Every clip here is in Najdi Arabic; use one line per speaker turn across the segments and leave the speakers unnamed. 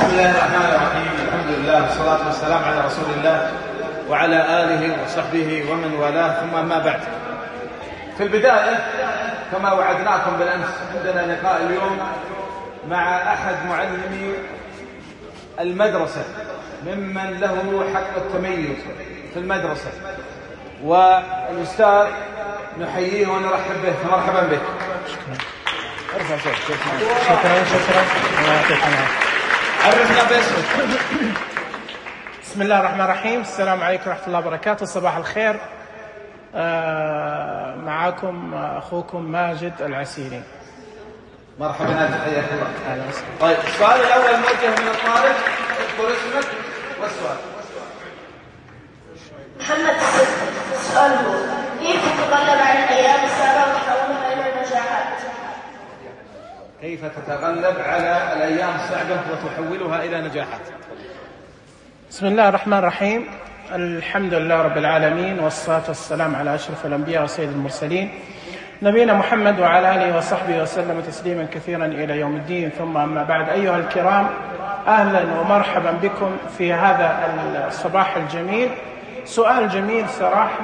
بسم الله الرحمن الرحيم. الحمد لله والصلاة والسلام على رسول الله وعلى آله وصحبه ومن والاه، ثم ما بعد. في البداية كما وعدناكم بالأمس عندنا لقاء اليوم مع أحد معلمي المدرسة ممن له حق التميز في المدرسة، والأستاذ نحييه ونرحب به، فمرحبا بك.
شكرا.
عرفنا باسمك.
بسم الله الرحمن الرحيم. السلام عليكم ورحمة الله وبركاته. صباح الخير. معكم أخوكم ماجد العسيري.
مرحبا، حياك الله. طيب، السؤال الأول موجه من الطالب، اذكر اسمك والسؤال.
محمد. السؤال هو: كيف تتغلب على الأيام الصعبة وتحولها إلى نجاحات؟
كيف تتغلب على الأيام الصعبة وتحولها إلى نجاحات؟
بسم الله الرحمن الرحيم. الحمد لله رب العالمين، والصلاة والسلام على أشرف الأنبياء وسيد المرسلين نبينا محمد وعلى آله وصحبه وسلم تسليما كثيرا إلى يوم الدين. ثم أما بعد، أيها الكرام، أهلا ومرحبا بكم في هذا الصباح الجميل. سؤال جميل صراحة.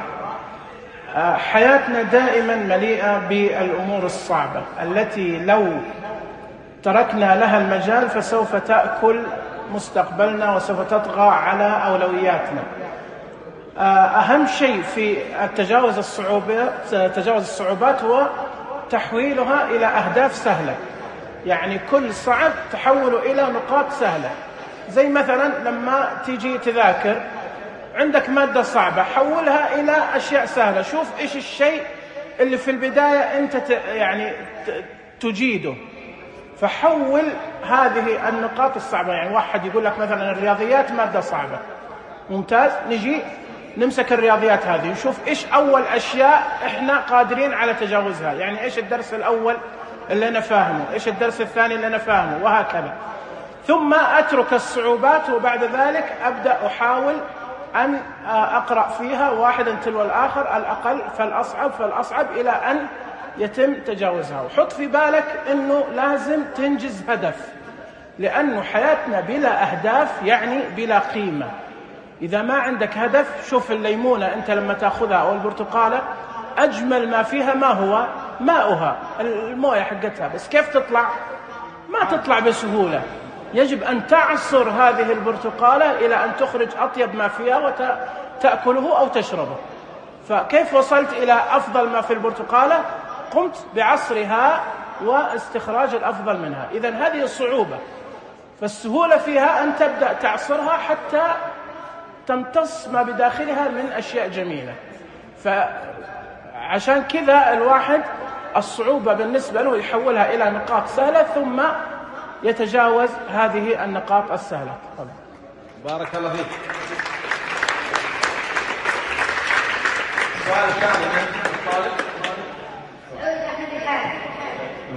حياتنا دائما مليئة بالأمور الصعبة التي لو تركنا لها المجال فسوف تأكل مستقبلنا وسوف تطغى على أولوياتنا. أهم شيء في تجاوز الصعوبات هو تحويلها إلى أهداف سهلة، يعني كل صعب تحوله إلى نقاط سهلة. زي مثلا لما تيجي تذاكر، عندك مادة صعبة، حولها إلى أشياء سهلة. شوف إيش الشيء اللي في البداية أنت تجيده، فحول هذه النقاط الصعبة. يعني واحد يقول لك مثلا الرياضيات مادة صعبة، ممتاز، نجي نمسك الرياضيات هذه نشوف إيش أول أشياء إحنا قادرين على تجاوزها. يعني إيش الدرس الأول اللي أنا فاهمه، إيش الدرس الثاني اللي أنا فاهمه، وهكذا. ثم أترك الصعوبات، وبعد ذلك أبدأ أحاول أن أقرأ فيها واحدا تلو الآخر، الأقل فالأصعب إلى أن يتم تجاوزها. وحط في بالك أنه لازم تنجز هدف، لأنه حياتنا بلا أهداف يعني بلا قيمة. إذا ما عندك هدف، شوف الليمونة أنت لما تأخذها أو البرتقالة، أجمل ما فيها ما هو ماؤها، الموية حقتها، بس كيف تطلع؟ ما تطلع بسهولة. يجب أن تعصر هذه البرتقالة إلى أن تخرج أطيب ما فيها وتأكله أو تشربه. فكيف وصلت إلى أفضل ما في البرتقالة؟ قمت بعصرها واستخراج الأفضل منها. إذن هذه الصعوبة، فالسهولة فيها أن تبدأ تعصرها حتى تمتص ما بداخلها من أشياء جميلة. فعشان كذا الواحد الصعوبة بالنسبة له يحولها إلى نقاط سهلة، ثم يتجاوز هذه النقاط السهلة.
بارك الله فيك. سؤال ثاني من الطالب.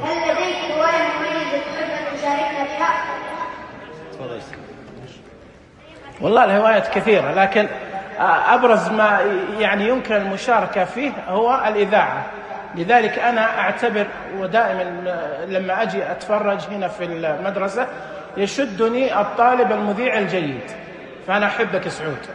هل لديك هواية مميزة تحب أن تشاركنا بها؟
تفضل.
والله الهوايات كثيرة، لكن أبرز ما يعني يمكن المشاركة فيه هو الإذاعة. لذلك أنا أعتبر، ودائما لما أجي أتفرج هنا في المدرسة يشدني الطالب المذيع الجيد، فأنا أحبك سعود.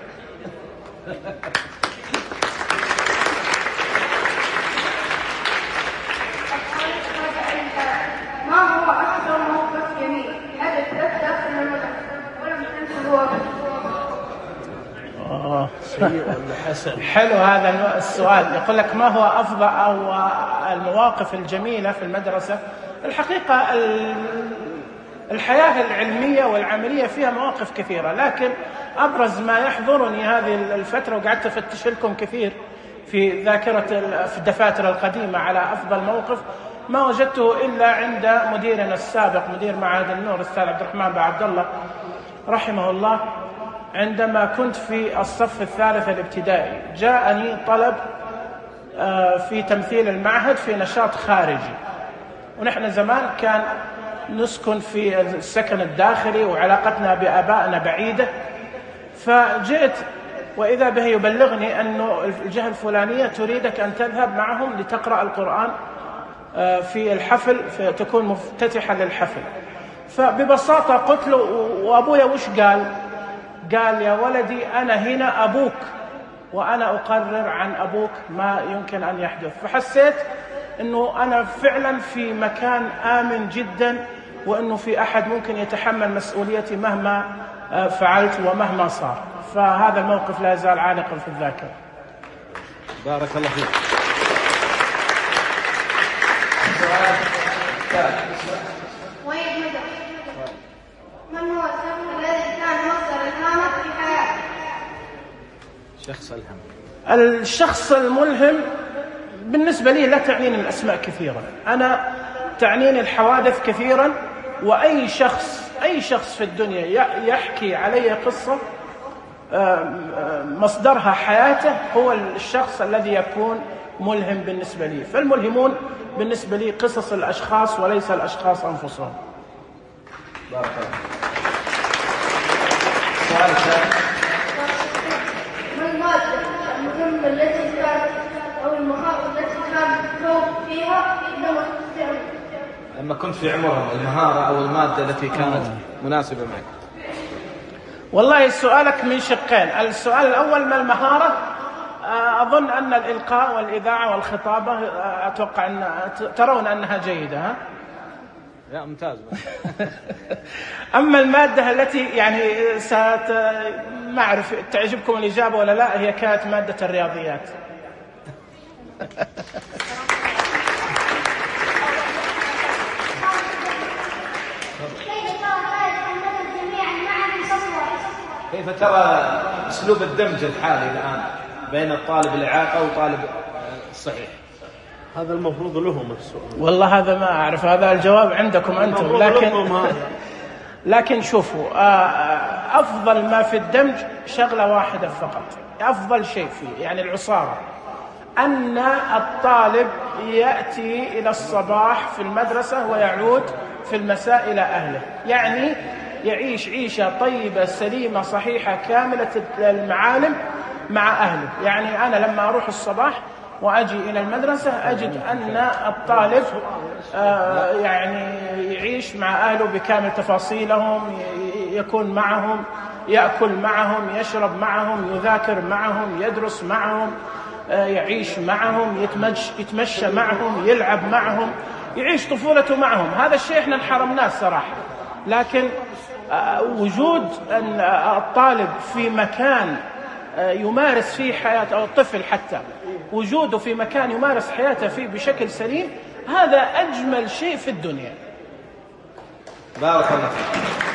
ما هو أكثر موقف جميل حدث لك داخل المدرسة ولم تنسه أبدا؟
حلو هذا السؤال. يقول لك ما هو أفضل أو المواقف الجميلة في المدرسة. الحقيقة الحياة العلمية والعملية فيها مواقف كثيرة، لكن أبرز ما يحضرني هذه الفترة، وقعدت أفتش لكم كثير في ذاكرة في الدفاتر القديمة على أفضل موقف، ما وجدته إلا عند مديرنا السابق، مدير معهد النور الأستاذ عبد الرحمن بن عبد الله رحمه الله. عندما كنت في الصف الثالث الابتدائي جاءني طلب في تمثيل المعهد في نشاط خارجي، ونحن زمان كان نسكن في السكن الداخلي وعلاقتنا بآبائنا بعيدة، فجئت وإذا به يبلغني أنه الجهة الفلانية تريدك أن تذهب معهم لتقرأ القرآن في الحفل، تكون مفتتحا للحفل. فببساطة قلت له وأبويا وش قال؟ قال يا ولدي أنا هنا أبوك وأنا أقرر عن أبوك ما يمكن أن يحدث. فحسيت أنه أنا فعلا في مكان آمن جدا، وأنه في أحد ممكن يتحمل مسؤوليتي مهما فعلت ومهما صار. فهذا الموقف لا يزال عالقا في الذاكرة.
بارك الله فيك.
من هو الشخص الذي كان مصدر الهامة في حياته؟
شخص الهم.
الشخص الملهم بالنسبة لي لا تعنيني الأسماء كثيرا، أنا تعنيني الحوادث كثيرا. وأي شخص في الدنيا يحكي علي قصة مصدرها حياته هو الشخص الذي يكون ملهم بالنسبة لي. فالملهمون بالنسبة لي قصص الأشخاص وليس الأشخاص أنفسهم.
بارك الله. سؤال ثاني.
ما المادة المهمة التي كانت أو المهارة التي كانت توب فيها
لما كنت في عمرهم، المهارة أو المادة التي كانت مناسبة معك؟
والله سؤالك من شقين. السؤال الأول ما المهارة؟ أظن أن الإلقاء والإذاعة والخطابة أتوقع أن ترون أنها جيدة. ها؟
لا ممتاز.
أما المادة التي يعني ما أعرف تعجبكم الإجابة ولا لا، هي كانت مادة الرياضيات.
كيف ترى أسلوب الدمج الحالي الآن بين الطالب الإعاقة وطالب الصحيح؟
هذا المفروض لهم السؤال.
والله هذا ما أعرف، هذا الجواب عندكم أنتم. لكن شوفوا، أفضل ما في الدمج شغلة واحدة فقط، أفضل شيء فيه يعني العصارة، أن الطالب يأتي إلى الصباح في المدرسة ويعود في المساء إلى أهله، يعني يعيش عيشة طيبة سليمة صحيحة كاملة المعالم مع أهله. يعني أنا لما أروح الصباح وأجي إلى المدرسة أجد أن الطالب يعني يعيش مع أهله بكامل تفاصيلهم، يكون معهم، يأكل معهم، يشرب معهم، يذاكر معهم، يدرس معهم، يعيش معهم، يتمشى معهم، يلعب معهم، يعيش طفولته معهم. هذا الشيء احنا انحرمناه الصراحة. لكن وجود أن الطالب في مكان يمارس فيه حياته، أو الطفل حتى وجوده في مكان يمارس حياته فيه بشكل سليم، هذا أجمل شيء في الدنيا.
بارك الله فيك.